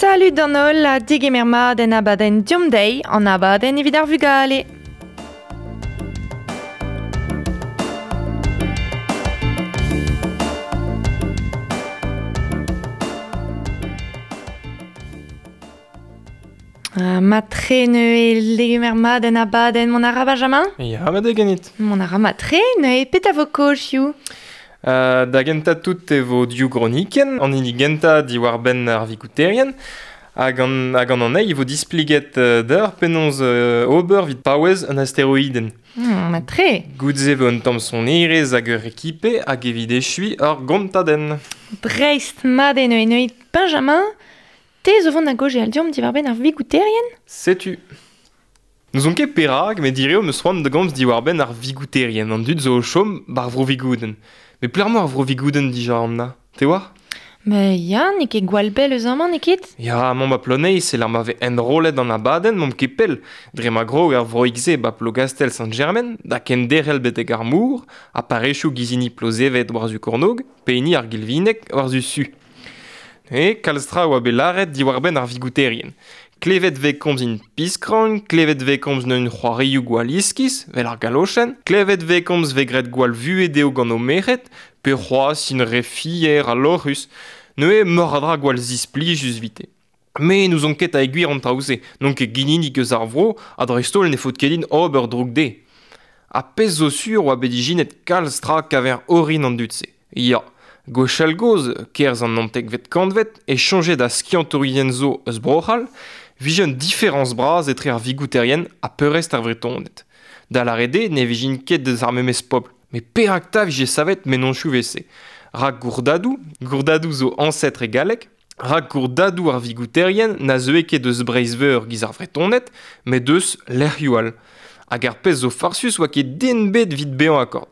Salut d'an holl ha degemer mat en abadenn Deomp dezhi, an abadenn evit ar vugale. Matre neuze degemer mat en abadenn mont a ra Benjamin? Ya, ma degenit. Mont a ra matre neuze petra vo kaoz Da gentañ tout e vo div gronikenn, an hini gentañ diwar-benn ar vikouterien, hag an, hag an anezhi e vo displeget deoc'h penaos ober evit paouez un asteroidenn. Matre. Goude-se e vo un tamm sonerezh hag ur rekipe hag evit echuiñ ur gontadenn. Dreist mat eo neuze neuze Benjamin, te zo vont da gaozeal deomp diwar-benn ar vigouterien? Setu. N'ouzon ket perak, met direo 'm eus c'hoant da gomz diwar-benn ar vigouterien, an dud zo o chom 'bar Vro-Vigoudenn. Met pelec'h emañ ar Vro-Vigoudenn dija, Anna? Te oar? Mais ya, n'eo ket gwall bell eus amañ, n'eo ket? Ya, amañ 'ba Ploneiz, e lec'h ma vez enrollet an abadenn, n'omp ket pell. Dre ma grog ar vroig-se 'ba Plougastell-Sant-Jermen, da kenderc'hel betek ar mor, ha parrezioù giz hini Plozeved war-zu kornôg, pe hini ar Gilvineg war-zu su. E kalz tra a oa bet lâret diwar-benn ar vigouterien. Klevet 'vez komz int piskran, klevet 'vez komz neu'n c'hoarioù gwall iskis, 'vel ar galochenn, klevet 'vez komz 'vez graet gwall vuhez dezho gant o merc'hed, pe c'hoazh int re fier ha lorc'hus. Neuze meur a dra gwall zisplijus 'vite. Me n'ouzon ket ha e gwir an traoù-se, n'on ket ginidik eus ar vro ha dreist-holl ne faot ket din ober droug dezhe. Ha pezh zo sur oa bet ijinet kalz tra 'kaver orin an dud-se. Ya, gwechall-gozh, kerzh an naontekvet kantved, e soñje da skiantourien zo eus Bro-C'hall 'vije un diferañs bras etre ar Vigouterien ha peurrest ar Vretoned. Da lâret eo ne vijint ket eus ar memes pobl. Met perak 'ta 'vije savet mennozhioù 'vel-se? Rak gourdadoù, gourdadoù zo añsetr e galleg, rak gourdadoù ar Vigouterien na zeue ket eus Breizh-Veur giz ar Vretoned, met eus lec'hioù all. Hag ar pezh zo farsus 'oa ket den 'bet 'vit bezañ akord.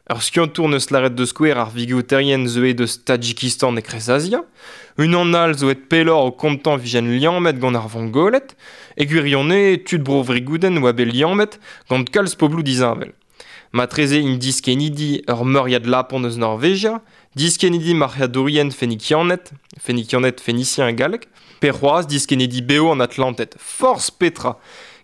Ur skiantour 'neus lâret da skouer ar vigouterien zeuet eus Tadjikistan e Kreiz-Azia. Unan all zo aet pelloc'h o kontañ 'vijent liammet gant ar Vongoled. E gwirionez, tud Bro-Vrigoudenn 'oa bet liammet gant kalz pobloù disheñvel. Matreze int diskennidi ur meuriad lapon eus Norvegia, diskennidi marc'hadourien fenikianed, fenikianed fenisien e galleg, pe c'hoazh diskennidi bev an Atlanted. Forzh petra!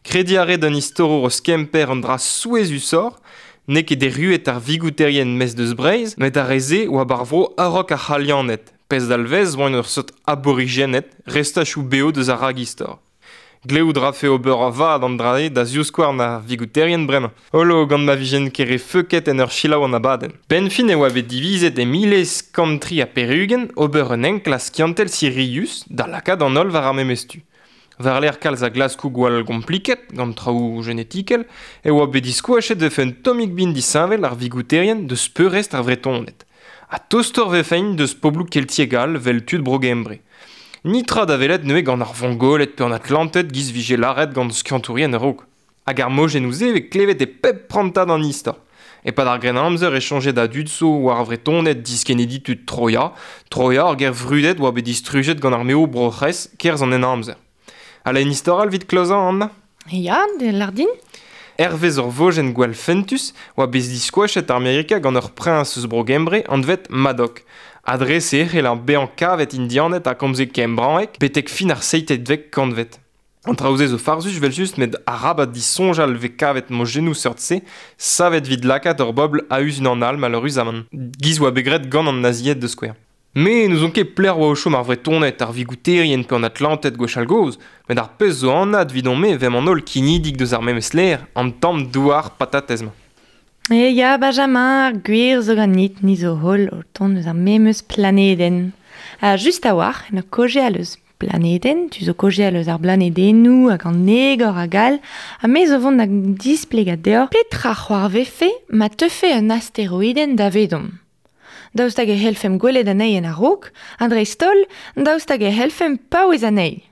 Krediñ a ret un istorour eus Kemper un dra souezhusoc'h, N'eo ket erruet ar vigouterien maez deus Breizh, met ar re-se oa 'bar vro a-raok ar C'halianed, pezh dalvez 'oant ur seurt aborijened, restachoù bev deus ar ragistor. Glevout 'rafe ober a-vat an dra-se da zivskouarn ar vigouterien bremañ. Holo gant ma vijent ket re feuket en ur selaou an abadenn. Benn fin e oa bet divizet e 1883 ober un enklask skiantel sirius da lakaat an holl war ar memes tu. War-lerc'h kalz a glaskoù gwall gompliket gant traoù genetikel e oa bet diskoachet e vefe un tammig bin disheñvel ar vigouterien deus peurrest ar Vretoned. Ha tostoc'h 'vefent deus pobloù keltiek all 'vel tud Bro-Gembre. Nitra da welet neuze gant ar Vongoled pe an Atlanted 'giz 'vije lâret gant skiantourien a-raok. Hag ar mojennoù-se 'vez klevet e pep prantad an istor. E-pad ar Grennamzer e soñje da dud zo war ar Vretoned diskennidi tud Troia. Troia, ur gêr vrudet, oa bet distrujet gant armeoù Bro-C'hres kerzh an Henamzer. Ha un istor all evit klozañ, Anna? Ya, lâr din. Hervez ur vojenn gwall fentus oa bet diskoachet Amerika gant ur priñs eus Bro-Gembre anvet Madoc. Ha dre-se e c'hell bezañ kavet Indianed ha komze kembraeg betek fin ar seitekvet kantved. An traoù-se zo farsus evel-just met arabat disoñjal 'vez kavet mojennoù seurt-se savet evit lakaat ur bobl a-us unan all maleüruzamant. 'Giz 'oa bet graet gant an nazied da skouer. Me n'ouzon ket pelec'h 'oa o chom ar Vretoned, ar Vigouterien pe an Atlanted gwechall-gozh, met ar pezh zo anat evidon-me 'vemp an holl kinidig deus ar memes lec'h, an tamm douar patatez-mañ. E ya, Benjamin, ar gwir zo ganit, ni zo holl o tont eus ar memes planedenn. Ha just a-walc'h, en ur kaozeal eus Planedenn, tu zo kaozeal eus ar blanedennoù hag an egor hag all, ha me zo vont da displegañ deoc'h petra c'hoarvefe ma teufe un asteroidenn davedomp. Daoust hag e c'hellfemp gwelet anezhi en a-raok, ha dreist-holl, daoust hag e c'hellfemp paouez anezhi.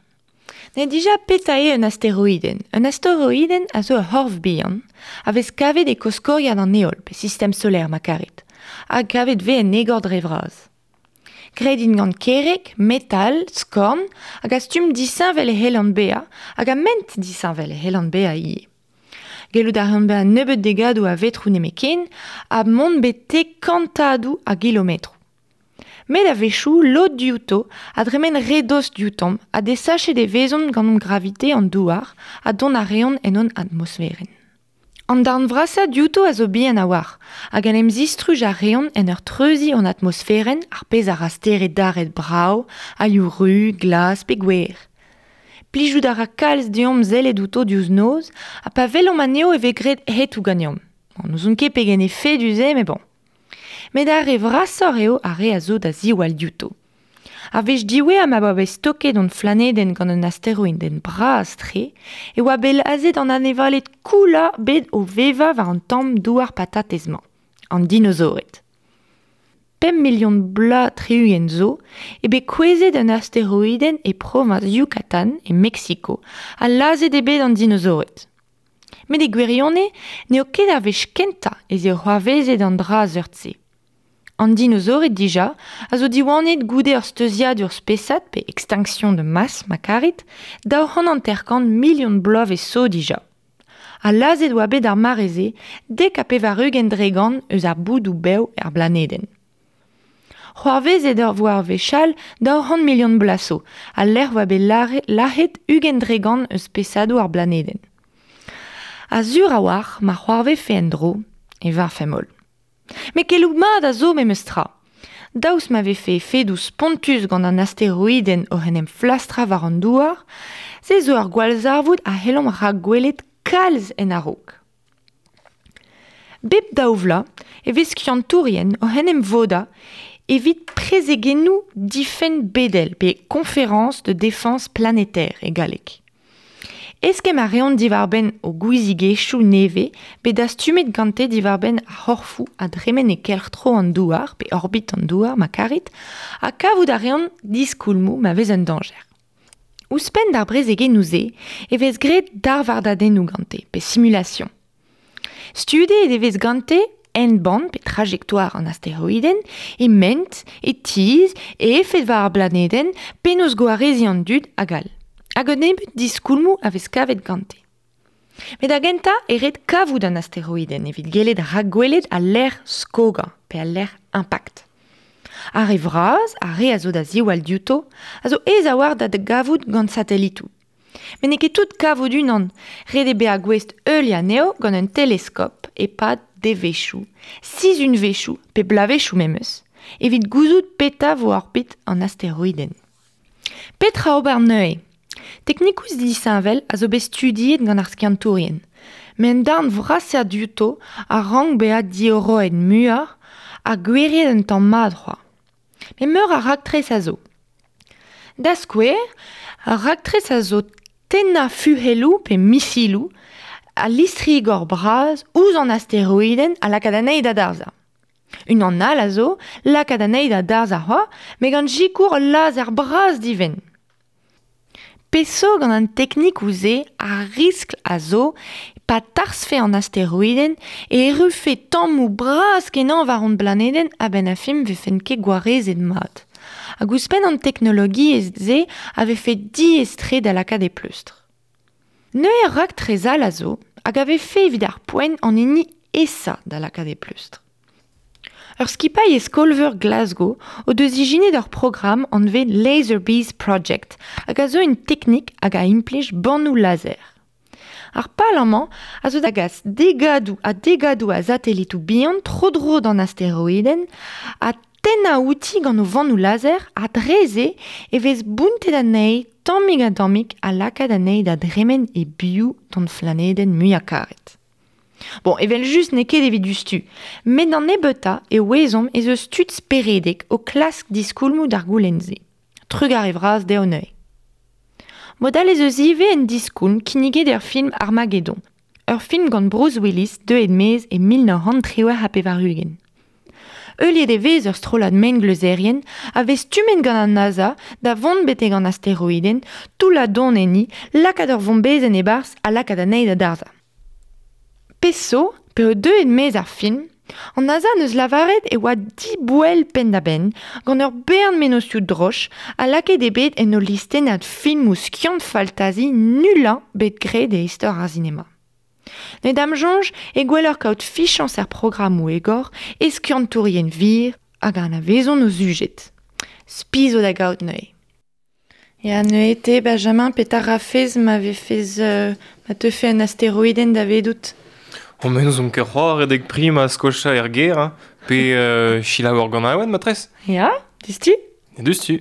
Ne dija petra eo un asteroidenn. Un asteroidenn a zo ur c'horf bihan, a vez kavet e koskoriad an heol, pe sistem solaer ma karit, ha kavet vez en egor dre vras. Graet int gant kerreg, metal, skorn, hag a stumm disheñvel e c'hellont bezañ, hag a ment disheñvel e c'hellont bezañ ivez. Gellout a reont bezañ nebeut degadoù a vetroù nemetken, ha mont betek kantadoù a gilometroù. Met a-wechoù lod diouto a dremen re dost dioutomp ha desachet e vezont gant hon gravite an douar ha dont a reont en hon atmosferenn. An darn vrasañ diouto a zo bihan a-walc'h hag en em zistruj a reont en ur treuziñ hon atmosferenn ar pezh a ra stered daret brav, a liv ruz, glas pe gwer. Plijout a ra kalz deomp sellet outo diouzh noz ha pa welomp anezho e vez graet hetoù ganeomp. Bon, n'ouzon ket pegen efedus eo met bon. Met ar re vrasoc'h eo ar re a zo da ziwall diouto. Ar wech diwezhañ ma oa bet stoket hon flanedenn gant un asteroidenn bras-tre e oa bet lazhet an anevaled koulañ bet o vevañ war an tamm douar-patatez-mañ, an dinozored. Pemp milion bloaz tri-ugent zo eo bet kouezhet un asteroidenn e proviñs Yucatán e Meksiko ha lazhet eo bet an dinozored. Met e gwirionez n'eo ket ar wech kentañ ez eo c'hoarvezet an dra seurt-se. An dinozored dija a zo diwanet goude ur steuziadur spesad pe extinction de masse ma karit 250 milion bloavezh zo dija. Ha lazhet oa bet d'ar mare-se 90% eus ar boudoù bev er blanedenn. C'hoarvezet ur voa ar wech all 200 milion bloaz zo, al lec'h oa bet lazhet 20% eus spesadoù ar blanedenn. Ha sur a-walc'h ma c'hoarvefe en-dro e varvfemp holl. Met keloù mat a zo memes tra. Daoust ma vefe efedoù spontus gant an asteroidenn oc'h en em flastrañ war an douar, se zo ur gwallzarvoud a c'hellomp rakgwelet kalz en a-raok. Bep daou vloaz e vez skiantourien oc'h en em vodañ evit prezegennoù difenn bedel pe conférence de défense planétaire e galleg. Eskemm a reont diwar-benn o gouiziegezhioù nevez bet dastumet gante diwar-benn ar c'horfoù a dremen e kelc'h-tro an Douar pe orbit an Douar ma karit ha kavout a reont diskoulmoù ma vez un dañjer. Ouzhpenn d'ar brezegennoù-se e vez graet darvardadennoù gante pe simulation. Studiet e vez gante hent-bann pe trajectoire an asteroidenn, e ment, e tizh, e efed war ar blanedenn, penaos gwareziñ an dud hag all. Hag un nebeud diskoulmoù a vez kavet gante. Met da gentañ e ret kavout an asteroidenn evit gellet rakgwelet al lec'h skogañ pe al lec'h impact. Ar re vras, ar re a zo da ziwall diouto, a zo aes a-walc'h da gavout gant satelitoù. Met n'eo ket tout kavout unan, ret eo bezañ gouest heuliañ anezho gant un teleskop e-pad devezhioù, sizhunvezhioù pe bloavezhioù memes, evit gouzout petra vo orbit an asteroidenn. Petra ober neuze? Teknikoù disheñvel a zo bet studiet gant ar skiantourien, met un darn vrasañ diouto a rank bezañ diorroet muioc'h ha gwiriet un tamm mat c'hoazh. Met meur a raktres a zo. Da skouer, ar raktres a zo tennañ fuhelloù pe misiloù ha listri-gor bras ouzh an asteroidenn ha lakaat anezhi da darzhañ. Unan all a zo lakaat anezhi da darzhañ c'hoazh met gant sikour ul lazer bras divent. Peseurt gant an teknikoù-se ar riskl a zo pa tarzhfe an asteroidenn e errufe tammoù bras-kenañ war hon blanedenn a-benn ar fin 'vefent ket gwarezet mat. Hag ouzhpenn an teknologiezh-se a vefe diaes-tre da lakaat e pleustr. Neuze ur raktres all a zo hag a vefe evit ar poent an hini aesañ da lakaat e pleustr. Ur skipailh e skol-veur Glasgow o deus ijinet ur programm anvet Laser Bees Project hag a zo un teknik hag a implij bannoù lazer. Ar pal amañ a zo da gas degadoù ha degadoù a satelitoù bihan tro-dro d'an asteroidenn ha tennañ outi gant o vannoù lazer ha dre-se e vez bountet anezhi tammig-ha-tammig ha lakaat anezhi da dremen e-biou d'hon flanedenn muiañ-karet. Bon, evel-just n'eo ket evit diouzhtu, met d'an nebeutañ e ouezomp ez eus tud speredek o klask diskoulmoù d'ar goulenn-se. Trugarez vras dezho neuze. Mod all ez eus ivez un diskoulm kinniget er film Armageddon, ur film gant Bruce Willis deuet maez e 1998. Heuliet e vez ur strollad mengleuzerien a vez stummet gant an NASA da vont betek an asteroidenn, toullañ don enni, lakaat ur vombezenn e-barzh ha lakaat anezhi da darzhañ. Pezh zo, p'eo deuet maez ar film, an NASA n'eus lavaret e oa diboell penn-da-benn gant ur bern mennozhioù droch ha lakaet eo bet en o listennad filmoù skiant-faltazi nullañ bet graet e istor ar sinema. Met da'm soñj eo gwelloc'h kaout fichañs er programmoù egor e skiantourien wir hag anavezont o sujed. Spi zo da gaout neuze. Ya, neuze te, Benjamin, petra rafez ma vefez ma teufe un asteroidenn davedout? O men n'ouzon ket c'hoar redek prim a skoachañ er gêr, hein, pe selaou ur ganaouenn matrez. Ya, diouzhtu? Diouzhtu.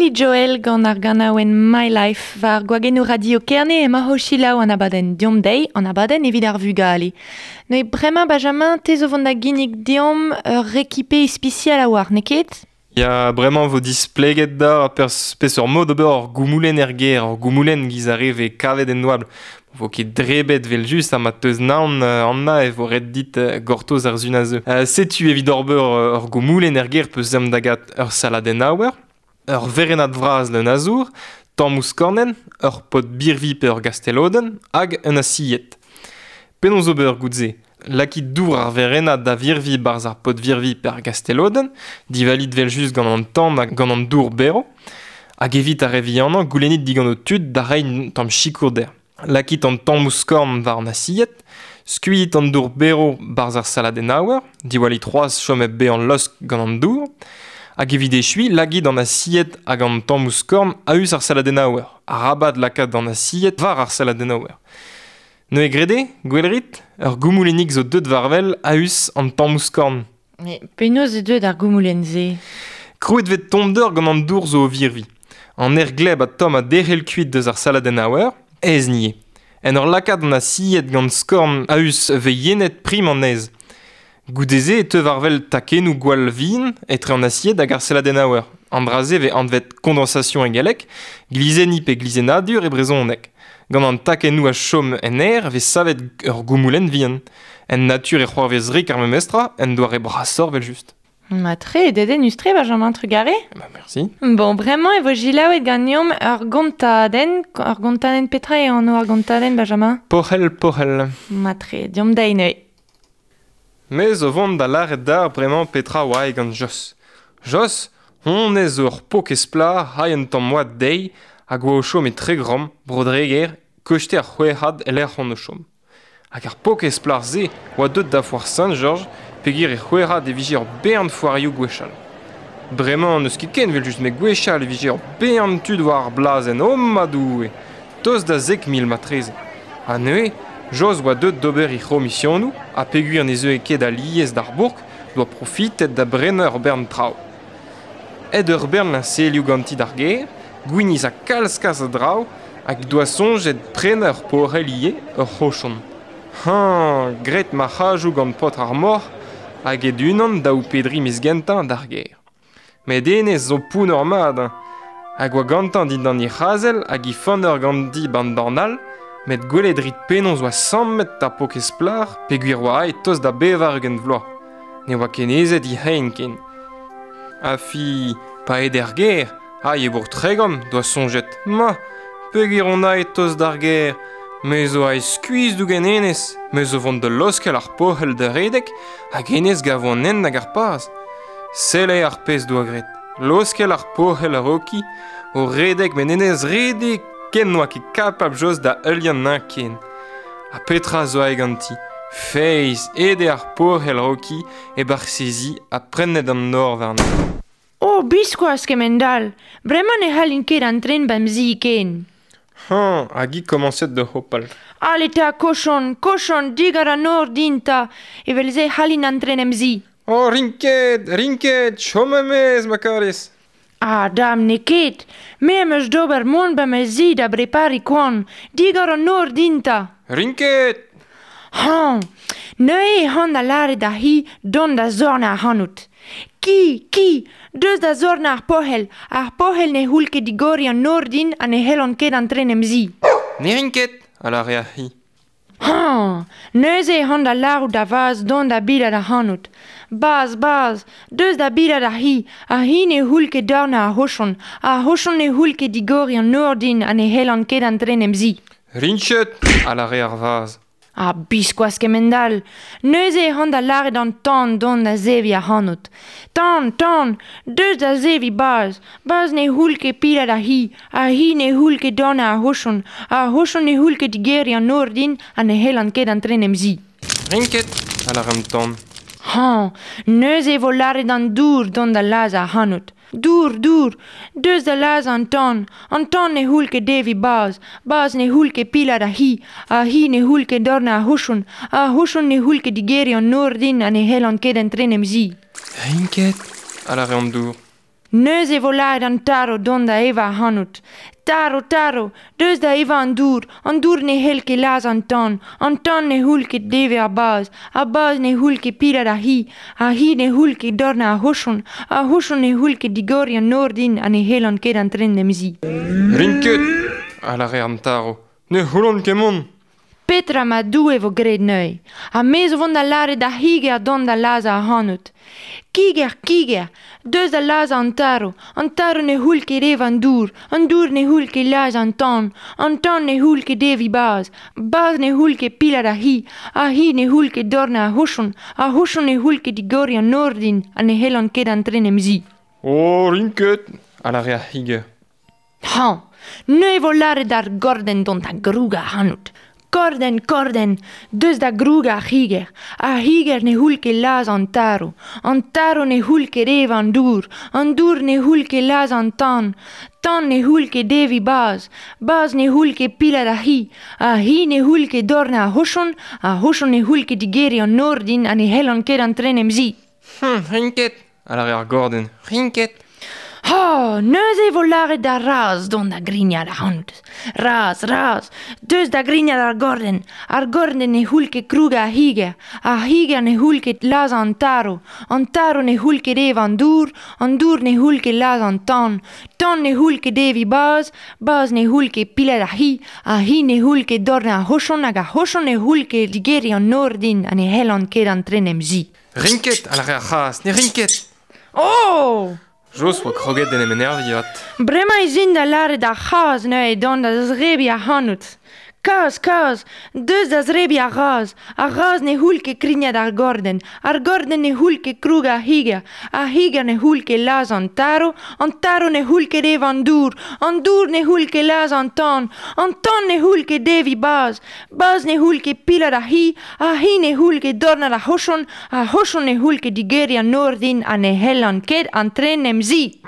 Billy Joel gant ar ganaouenn My Life war gwagennoù Radio Kerne emañ o selaou an abadenn Deomp Dezhi, an abadenn evit ar vugale. Neuze bremañ Benjamin, te zo vont da ginnig deomp ur rekipe ispisial a-walc'h, n'eo ket? Ya, bremañ vo displeget da peseurt mod ober ur goumoulenn er gêr, ur goumoulenn giz ar re vez kavet en oabl. Vo ket drebet vel-just ha ma teus naon Anna e vo ret dit gortoz ar sun a zeu. Setu evit ober ur goumoulenn er gêr peus ezhomm da gat ur saladenn aouer, ur werennad vras leun a zour, tammoù skornenn, ur pod birvi pe ur gastelodenn hag un asied. Penaos ober gout-se? Lakit dour ar werennad da virvi barzh ar pod virvi pe ar gastelodenn, divalit vel-just gant an tan hag gant an dour berv, hag evit ar re vihanañ goulennit digant ho tud da reiñ un tamm sikour dezhañ. Lakit an tammoù skorn war an asied, skuilhit an dour berv barzh ar saladennaouer, diwallit c'hoazh chom hep bezañ laosk gant an dour, hag evit echuiñ lagit an asied hag an tammoù skorn a-us ar saladennaouer, arabat lakaat an asied war ar saladennaouer. Neuze graet eo, gwell rit, ur goumoulennig zo deuet war-wel a-us an tammoù skorn. Mais penaos eo deuet ar goumoulenn-se? Krouet vez tommder gant an dour zo o virviñ. An aer gleb ha tomm a derc'hel kuit deus ar saladennaouer, aes ivez. En ur lakaat an asied gant skorn a-us vez yenet prim an aez. Goude-se e teu war-wel takennoù gwall vihan etre an asied hag ar saladennaouer. An dra-se vez anvet condensation e galleg, glizenniñ pe glizennadur e brezhoneg. Gant an takennoù a chom en aer e vez savet ur goumoulenn vihan. En natur e c'hoarvez rik ar memestra, en doare brasoc'h evel-just. Mat-tre, dedennus-tre, Benjamin Trugarez. Bah, merci. Bon, bremañ e vo selaouet ganeomp ur gontadenn. Ur gontadenn petra eo anv ar gontadenn, Benjamin? Porc'hell, porc'hell. Mat-tre, deomp dezhi neuze. Me zo vont da lâret deoc'h bremañ petra oa gant Jos. Jos, honnezh zo ur paourkaezh plac'h hay un tamm oad dezhi hag oa o chom e Tregrom, Bro-Dreger, koste ar C'houerc'had e-lec'h on o chom. Hag ar paourkaezh plac'h-se oa deuet da foar Saint-Georges peogwir e C'houerc'had e vije ur bern foarioù gwechall. Bremañ n'eus ket ken evel-just met gwechall e vije ur bern tud war ar blasenn, oh ma Doue! Tost da 10,000 marteze. Ha neuze, Jos oa deuet d'ober he c'homisionoù ha peogwir ne zeue ket alies d'ar bourk doa profitet da brenañ ur bern traoù. Aet ur bern liñselioù ganti d'ar gêr, gwinizh ha kalz-kalz a draoù hag doa soñjet prenañ ur porc'hell ivez, ur c'hochon. Hañ, graet marc'hajoù gant paotr ar moc'h hag aet unan daou pe dri miz gentañ d'ar gêr. Met hennezh zo pounner mat hein. Hag oa gantañ dindan he c'hazel hag he fenner ganti 'ba'n dorn all, met gwelet 'rit penaos oa sammet ar paourkaezh plac'h peogwir oa aet tost da 80 vloaz. Ne oa ket aezet he c'hein ken. Ha fi, pa aet er gêr, aet e bourk Tregont, doa soñjet, ma, peogwir on aet tost d'ar gêr, me zo aet skuizh dougen hennezh, me zo vont da laoskel ar porc'hell da redek hag hennezh gavo an hent hag ar paz. Sell eo ar pezh doa graet. Laoskel ar porc'hell a-raoki, o redek met hennezh redek ken n'oa ket kapabl Jos da heuliañ anezhañ ken. Ha petra zo aet ganti? Feiz, aet eo ar porc'hell a-raoki e-barzh he zi ha prennet an nor warnañ. Oh, biskoazh kemend-all! Bremañ ne c'hallin ket antren ba'm zi ken. Hañ, hag hi komañset da hopal. Ale 'ta, kochon, kochon, digor an nor din 'ta, evel-se c'hallin antren em zi. Oh, rin ket, rin ket, chom e-maez ma karez. Ah, dam, n'eo ket. Me am eus d'ober mont ba ma zi da brepariñ koan. Digor an nor din 'ta. Rin ket. Hañ, neuze e c'han da lâret d'ar c'hi dont da zornañ ac'hanout. Ki, ki, deus da zornañ ar porc'hell. Ar porc'hell ne c'houll ket digoriñ an nor din ha ne c'hellan ket antren em zi. Ne rin ket, a lâre ar c'hi. Hañ, neuze e c'han da lârout da vazh dont da bilat ac'hanout. Bazh, bazh, deus da bilat ar c'hi. Ar c'hi ne c'houll ket dornañ ar c'hochon. Ar c'hochon ne c'houll ket digoriñ an nor din ha ne c'hellan ket antren em zi. Rin ket, a lâre ar vazh. Ha biskoazh kemend-all! Neuze e c'han da lâret an tan dont da zeviñ ac'hanout. Tan, tan, deus da zeviñ Baz. Baz ne c'houll ket pilat ar c'hi, ar c'hi ne c'houll ket dornañ ar c'hochon, ar c'hochon ne c'houll ket digeriñ an nor din ha ne c'hellan ket antren em zi. Rin ket, a lâre an tan. Hañ, neuze e vo lâret an dour dont da lazhañ ac'hanout. Dour, dour, deus da lazhañ an tan. An tan ne c'houll ket deviñ Baz. Baz ne c'houll ket pilat ar c'hi. Ar c'hi ne c'houll ket dornañ ar c'hochon. Ar c'hochon ne c'houll ket digeriñ an nor din ha ne c'hellan ket antren em zi. Rin ket, a lâre an dour. Neuze e vo lâret an tarv dont da evañ ac'hanout. Tarv, tarv, deus da evañ an dour, an dour ne c'hell ket lazhañ an tan, an tan ne c'houll ket deviñ ar bazh, ar bazh ne c'houll ket pilat ar c'hi, ar c'hi ne c'houll ket dornañ ar c'hochon, ar c'hochon ne c'houll ket digoriñ an nor din ha ne c'hellan ket antren em zi. Rin ket, a lâre an tarv, ne c'houllan ket mont. Petra ma Doue vo graet neuze? Ha me zo vont da lâret d'ar c'higer dont da lazhañ ac'hanout. Kiger, kiger, deus da lazhañ an tarv, an tarv ne c'houll ket evañ an dour, an dour ne c'houll ket lazhañ an tan, an tan ne c'houll ket deviñ bazh, bazh ne c'houll ket pilat ar c'hi, ar c'hi ne c'houll ket dornañ ar c'hochon, ar c'hochon ne c'houll ket digoriñ an nor din ha ne c'hellan ket antren em zi. Oh, rin ket, a lâre ar c'higer. Hañ, neuze e vo lâret d'ar gordenn dont da grougañ ac'hanout. Kordenn, kordenn, deus da grougañ ar c'higer. Ar c'higer ne c'houll ket lazhañ an tarv. An tarv ne c'houll ket evañ an dour. An dour ne c'houll ket lazhañ an tan. Tan ne c'houll ket deviñ bazh. Bazh ne c'houll ket pilat ar c'hi. Ar c'hi ne c'houll ket dornañ ar c'hochon. Ar c'hochon ne c'houll ket digeriñ an nor din ha ne c'hellan ket antren em zi. Rin ket, a lâre ar gordenn, rin ket. Ha, neuze e vo lâret d'ar razh dont da grignat ac'hanout. Razh, razh, deus da grignat ar gordenn. Ar gordenn ne c'houll ket krougañ ar c'higer. Ar c'higer ne c'houll ket lazhañ an tarv. An tarv ne c'houll ket evañ an dour. An dour ne c'houll ket lazhañ an tan. Tan ne c'houll ket deviñ bazh. Bazh ne c'houll ket pilat ar c'hi. Ar c'hi ne c'houll ket dornañ ar c'hochon hag ar c'hochon ne c'houll ket digeriñ an nor din ha ne c'hellan ket antren em zi. Rin ket, a lâre ar c'hazh, ne rin ket. Oh! Jos oa kroget d'en em enerviñ avat. Bremañ ez in da lâret d'ar c'hazh neuze dont da zrebiñ ac'hanout. Kazh, kazh, deus da zrebiñ ar razh. Ar razh ne c'houll ket krignat ar gordenn. Ar gordenn ne c'houll ket krougañ ar c'higer. Ar c'higer ne c'houll ket lazhañ an tarv. An tarv ne c'houll ket evañ an dour. An dour ne c'houll ket lazhañ an tan. An tan ne c'houll ket deviñ bazh. Bazh ne c'houll ket pilat ar c'hi. Ar c'hi ne c'houll ket dornat ar c'hochon. Ar c'hochon ne c'houll ket digeriñ an nor din ha ne c'hellan ket antren em zi.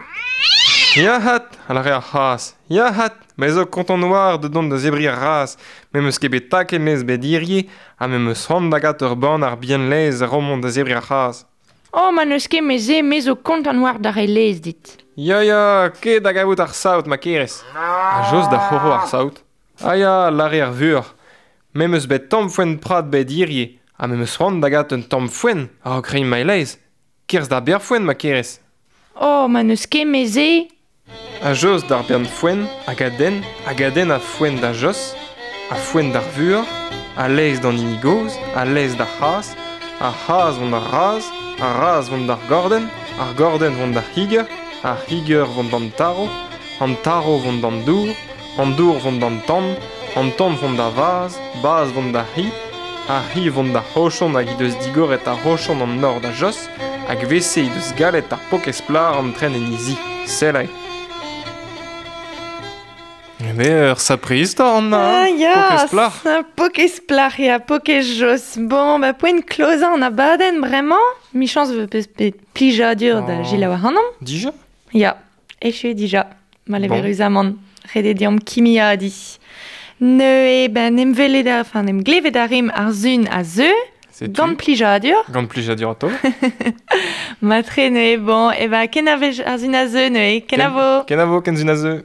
Ya 'hat, a lâre ar c'hazh, ya 'hat, me zo kontant war da dont da zebriñ ar razh, me 'm eus ket bet taket 'maez bet hirie ha me 'm eus c'hoant da gat ur bann ar bihan laezh a-raok mont da zebriñ ar c'hazh. Oh, ma n'eus ket me-se, me zo kontant war da reiñ laezh dit. Ya ya, ket da gavout ar saout ma kerez. Ha Jos da c'horo ar saout. Ah ya, a lâre ar vuoc'h, me 'm eus bet tamm foenn prad bet hirie ha me 'm eus c'hoant da gat un tamm foenn a-raok reiñ ma laezh. Kerzh d'ar berr-foenn ma kerez. Oh, ma n'eus ket me-se. Ha Jos d'ar bern foenn hag a denn hag a denn a foenn da Jos, a foenn d'ar vuoc'h, a laezh d'an hini gozh, a laezh d'ar c'hazh, ar c'hazh vont d'ar razh, ar razh vont d'ar gordenn, ar gordenn vont d'ar c'higer, ar c'higer vont d'an tarv, an tarv vont d'an dour, an dour vont d'an tan, an tan vont da vazh, bazh vont d'ar c'hi, ar c'hi vont d'ar c'hochon hag he deus digoret ar c'hochon an nor da Jos, hag 'vese he deus gallet ar pokez plac'h antren en he zi. Sell aze. Mais ur sapre istor, Anna, Ah, ya, pokez plac'h. Pokez plac'h, ya, pokez Jos. Bon, ba poent klozañ an abadenn bremañ. Michañs 'vo peus bet plijadur da Oh. selaou ac'hanomp. Dija Ya, echu eo dija, Bon. maleüruzamant. Ret eo deomp kimiadiñ. Neuze, ben, em welet a, enfin, em glevet a rimp ar sun a zeu, Setu. gant plijadur. Gant plijadur atao. Matre neuze, bon, e ben, kenavez ar sun a zeu neuze, kenavo. Kenavo, ken sun a zeu.